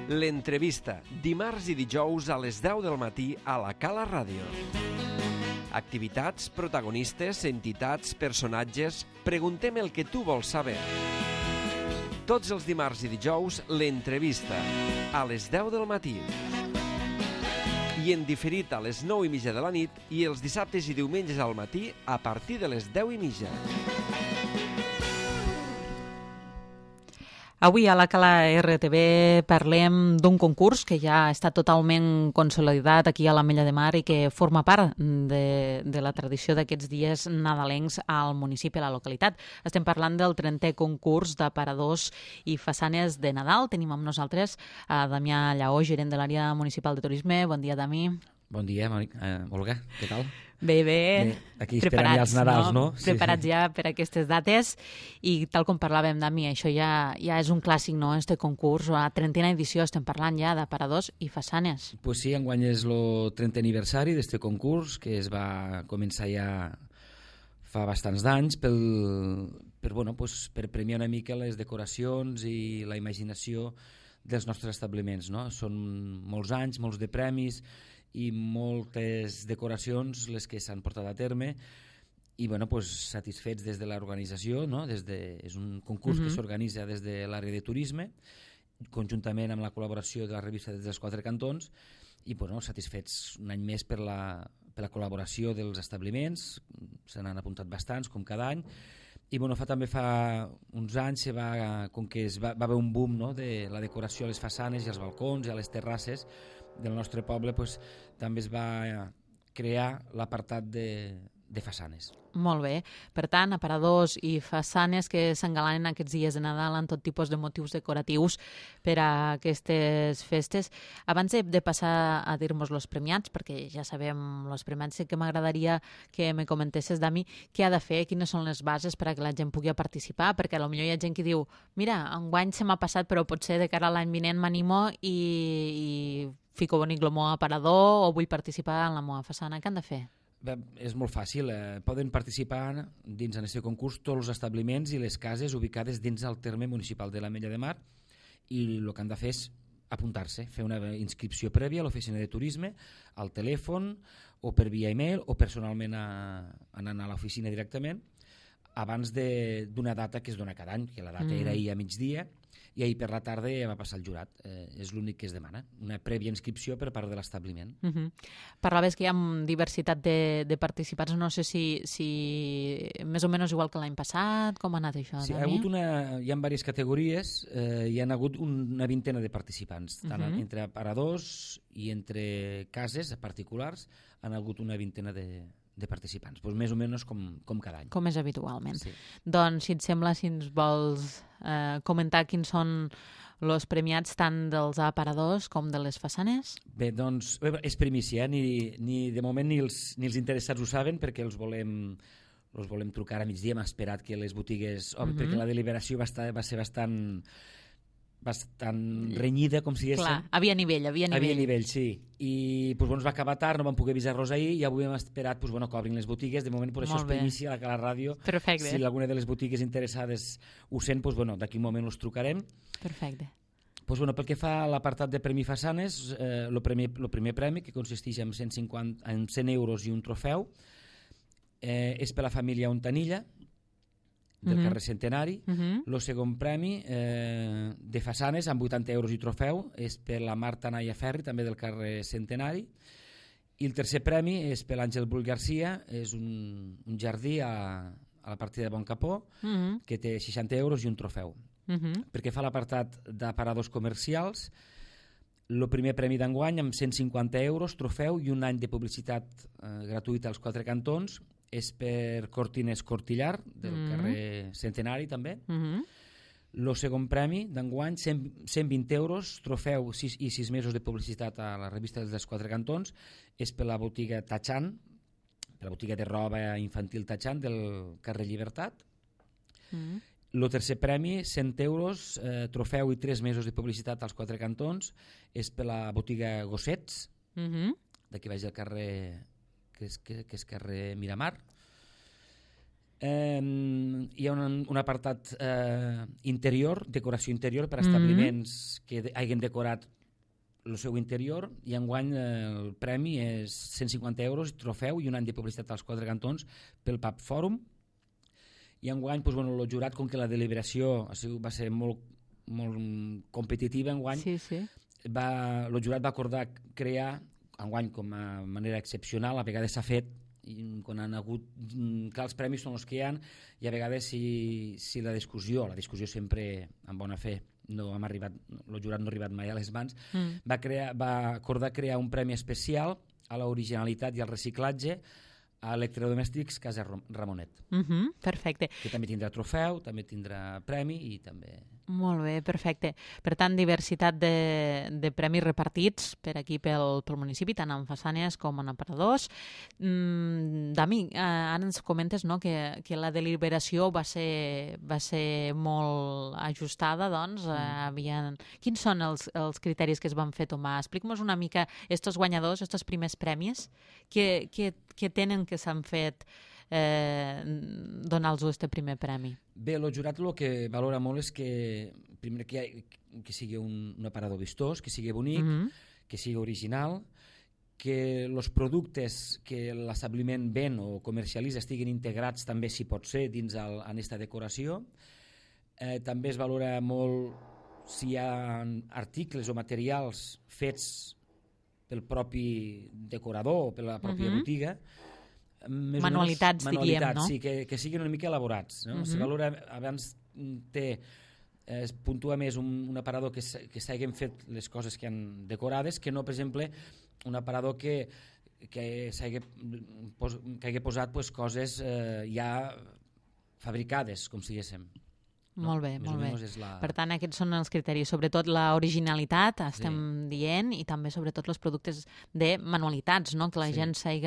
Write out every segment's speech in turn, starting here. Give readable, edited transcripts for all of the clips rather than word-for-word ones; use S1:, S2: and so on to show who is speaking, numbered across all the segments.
S1: L'entrevista, dimarts i dijous a les 10 del matí a la Cala Ràdio. Activitats, protagonistes, entitats, personatges... Preguntem el que tu vols saber. Tots els dimarts i dijous, l'entrevista, a les 10 del matí. I en diferit a les 9:30 de la nit i els dissabtes i diumenges al matí a partir de les 10:30.
S2: Avui a la Cala RTV parlem d'un concurs que ja està totalment consolidat aquí a l'Ametlla de Mar i que forma part de la tradició d'aquests dies nadalencs al municipi, a la localitat. Estem parlant del 30è concurs d'aparadors i façanes de Nadal. Tenim amb nosaltres a Damià Lleó, gerent de l'àrea municipal de turisme. Bon dia, Dami.
S3: Bon dia, Olga, què tal?
S2: Bé.
S3: Aquí esperant ja els Nadals, no?
S2: Preparats ja per aquestes dates i tal com parlàvem, Dami, això ja és un clàssic, no?, este concurs. A la 30a edició estem parlant ja d'aparadors i façanes.
S3: Pues sí, enguany és el 30è aniversari d'este concurs que es va començar ja fa bastants d'anys per premiar una mica les decoracions i la imaginació dels nostres establiments, no? Són molts anys, molts de premis i moltes decoracions les que s'han portat a terme i satisfets des de l'organització, no? És un concurs que s'organitza des de l'àrea de turisme conjuntament amb la col·laboració de la revista des dels 4 cantons i satisfets un any més per la col·laboració dels establiments. Se n'han apuntat bastants com cada any i també fa uns anys com que va haver un boom, no?, de la decoració a les façanes i als balcons i a les terrasses del nostre poble, també es va crear l'apartat de façanes.
S2: Molt bé. Per tant, aparadors i façanes que s'engalanen aquests dies de Nadal en tot tipus de motius decoratius per a aquestes festes. Abans de passar a dir-nos els premiats, perquè ja sabem els premiats, sí que m'agradaria que me comentessis, Dami, què ha de fer, quines són les bases per a que la gent pugui participar, perquè potser hi ha gent que diu mira, enguany se m'ha passat, però potser de cara a l'any vinent m'animo i fico bonic el meu aparador o vull participar en la meva façana. Què han de fer?
S3: És molt fàcil, poden participar dins en aquest concurs tots els establiments i les cases ubicades dins el terme municipal de l'Ametlla de Mar i el que han de fer és apuntar-se, fer una inscripció prèvia a l'oficina de turisme, al telèfon o per via e-mail o personalment anant a l'oficina directament abans d'una data que es dona cada any, que la data era ahir a migdia i ahir per la tarda ja va passar el jurat. És l'únic que es demana, una prèvia inscripció per part de l'establiment.
S2: Parlaves que hi ha diversitat de participants, no sé si més o menys igual que l'any passat, com ha anat això?
S3: Sí, hi ha diverses categories, hi ha hagut una vintena de participants, tant entre aparadors i entre cases particulars han hagut una vintena de participants, més o menys com cada any.
S2: Com és habitualment.
S3: Sí.
S2: Doncs, si et sembla, si ens vols comentar quins són els premiats tant dels aparadors com de les façanes?
S3: Bé, doncs, és primícia, ni de moment ni els interessats ho saben perquè els volem trucar a migdia. Hem esperat que les botigues... perquè la deliberació va ser bastant renyida, com si diguéssim.
S2: Clar, havia nivell.
S3: Havia nivell, sí. I ens va acabar tard, no vam poder avisar-los ahir i avui hem esperat que obrin les botigues. De moment, això és primícia a la ràdio.
S2: Perfecte.
S3: Si alguna de les botigues interessades ho sent, d'aquí un moment els trucarem.
S2: Perfecte.
S3: Pel que fa a l'apartat de premi façanes, el primer premi, que consisteix en 100 euros i un trofeu, és per la família Ontanilla, del carrer Centenari. El segon premi de façanes amb 80 euros i trofeu és per la Marta Naya Ferri, també del carrer Centenari, i el tercer premi és per l'Àngel Brull Garcia, és un jardí a la partida de Bon Capó, que té 60 euros i un trofeu. Perquè fa l'apartat d'aparadors comercials, el primer premi d'enguany amb 150 euros, trofeu i un any de publicitat gratuïta als 4 cantons és per Cortines Cortillar, del carrer Centenari també. El segon premi d'enguany, 120 euros, trofeu i 6 mesos de publicitat a la revista dels 4 cantons, és per la botiga Tachan, per la botiga de roba infantil Tachan del carrer Llibertat. El tercer premi, 100 euros, trofeu i 3 mesos de publicitat als 4 cantons, és per la botiga Gossets, d'aquí baix del carrer, que és carrer Miramar. Hi ha un apartat interior, decoració interior per a establiments que hagin decorat el seu interior, i enguany el premi és 150 euros, trofeu i un any de publicitat als 4 cantons pel Pub Fòrum. I enguany, el jurat, com que la deliberació va ser molt competitiva enguany, el jurat va acordar crear, enguany com a manera excepcional, a vegades s'ha fet, quan han hagut, clar, els premis són els que hi ha, i a vegades si la discussió sempre amb bona fe, no hem arribat, el jurat no ha arribat mai a les mans, va acordar crear un premi especial a l'originalitat i al reciclatge a electrodomèstics Casa Ramonet.
S2: Perfecte.
S3: Que també tindrà trofeu, també tindrà premi i també...
S2: Molt bé, perfecte. Per tant, diversitat de premis repartits per aquí pel municipi, tant en façanes com en aparadors. Dami, ara ens comentes que la deliberació va ser molt ajustada, doncs. Quins són els criteris que es van fer tomar? Explica'm una mica estos guanyadors, estos primers premis, que tenen que s'han fet donar-los este primer premi?
S3: Bé, el jurat el que valora molt és que primer que sigui un aparador vistós, que sigui bonic, que sigui original, que els productes que l'establiment ven o comercialitza estiguin integrats també, si pot ser, dins en aquesta decoració. També es valora molt si hi ha articles o materials fets pel propi decorador o per la pròpia botiga.
S2: Manualitats, diríem, no?
S3: Sí, que siguin una mica elaborats. Se valora, abans es puntua més un aparador que s'hagin fet les coses que han decorades, que no, per exemple, un aparador que hagi posat coses ja fabricades, com si diguéssim.
S2: Molt bé, molt bé. Per tant, aquests són els criteris, sobretot l'originalitat, estem dient, i també sobretot els productes de manualitats, no? Que la gent s'hagi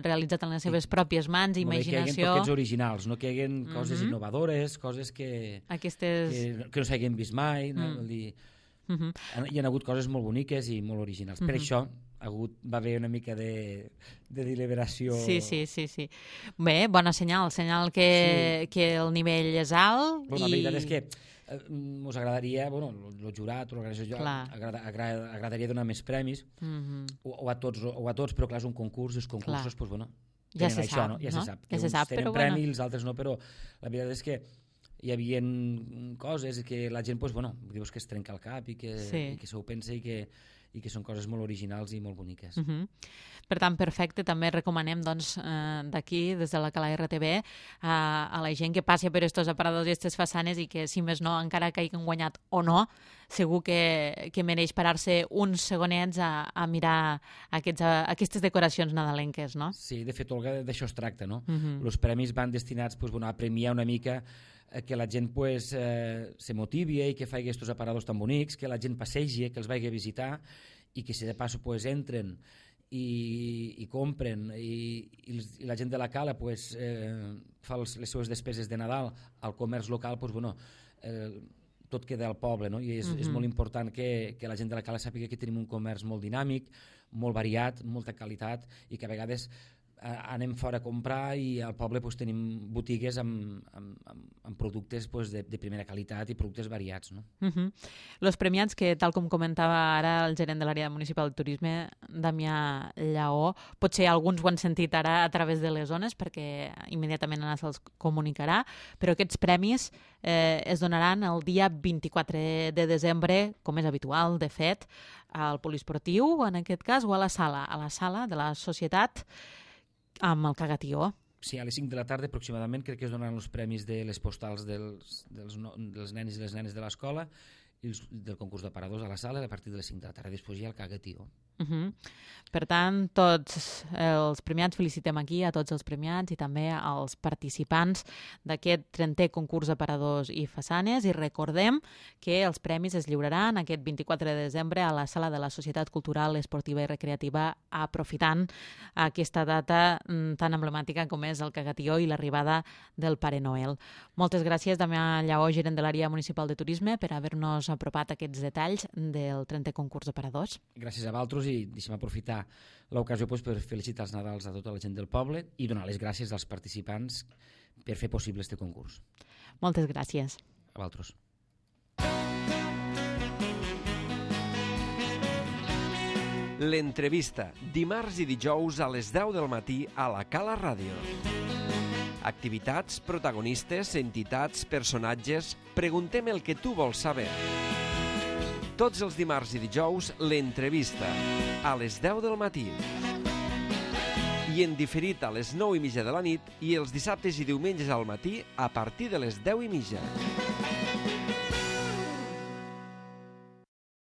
S2: realitzat en les seves pròpies mans, imaginació...
S3: Que hi hagi toquets originals, no que hi hagi coses innovadores, coses que no s'hagin vist mai. Hi ha hagut coses molt boniques i molt originals. Per això va haver una mica de deliberació.
S2: Sí. Bé, bona senyal que el nivell és alt.
S3: La veritat és que us agradaria, el jurat o l'organització agradaria donar més premis, o a tots, però clar, és un concurs, i els concursos,
S2: ja se sap, no?
S3: Ja se sap, que uns tenen premi i els altres no, però la veritat és que hi havia coses que la gent dius que es trenca el cap i que s'ho pensa i que són coses molt originals i molt boniques.
S2: Per tant, perfecte. També recomanem d'aquí, des de la Cala RTV, a la gent que passi per estos aparadors i aquestes façanes, i que, si més no, encara que hagin guanyat o no, segur que mereix parar-se uns segonets a mirar aquestes decoracions nadalenques, no?
S3: Sí, de fet, Olga, d'això es tracta, no? Els premis van destinats a premiar una mica que la gent se motivi i que faci aquests aparadors tan bonics, que la gent passegi, que els vagi a visitar, i que si de pas entren i compren, i la gent de la Cala fa les seves despeses de Nadal al comerç local, tot queda al poble, no? I és molt important que la gent de la Cala sàpiga que tenim un comerç molt dinàmic, molt variat, molta qualitat, i que a vegades anem fora a comprar i al poble tenim botigues amb productes de primera qualitat i productes variats.
S2: Els premiats, que tal com comentava ara el gerent de l'àrea municipal de turisme, Damià Lleó, potser alguns ho han sentit ara a través de les zones perquè immediatament Anna se'ls comunicarà, però aquests premis es donaran el dia 24 de desembre, com és habitual, de fet, al poliesportiu, en aquest cas, o a la sala de la societat, amb el Cagatió.
S3: Sí, a les 5 de la tarda aproximadament crec que es donaran els premis de les postals dels nens i les nenes de l'escola i del concurs d'aparadors a la sala a partir de les 5 de la tarda. Després hi ha el Cagatió.
S2: Per tant, tots els premiats, felicitem aquí a tots els premiats i també als participants d'aquest 30è concurs d'aparadors i façanes, i recordem que els premis es lliuraran aquest 24 de desembre a la sala de la Societat Cultural, Esportiva i Recreativa, aprofitant aquesta data tan emblemàtica com és el Cagatió i l'arribada del Pare Noel. Moltes gràcies, Damià Lleó, gerent de l'àrea municipal de turisme, per haver-nos apropat aquests detalls del 30è concurs d'aparadors.
S3: Gràcies a vosaltres, i deixem aprofitar l'ocasió per felicitar els Nadals a tota la gent del poble i donar les gràcies als participants per fer possible este concurs.
S2: Moltes gràcies.
S3: A vosaltres.
S1: L'entrevista, dimarts i dijous a les 10 del matí a la Cala Ràdio. Activitats, protagonistes, entitats, personatges... Preguntem el que tu vols saber. Tots els dimarts i dijous, l'entrevista, a les 10 del matí. I en diferit a les 9:30 de la nit i els dissabtes i diumenges al matí a partir de les 10:30.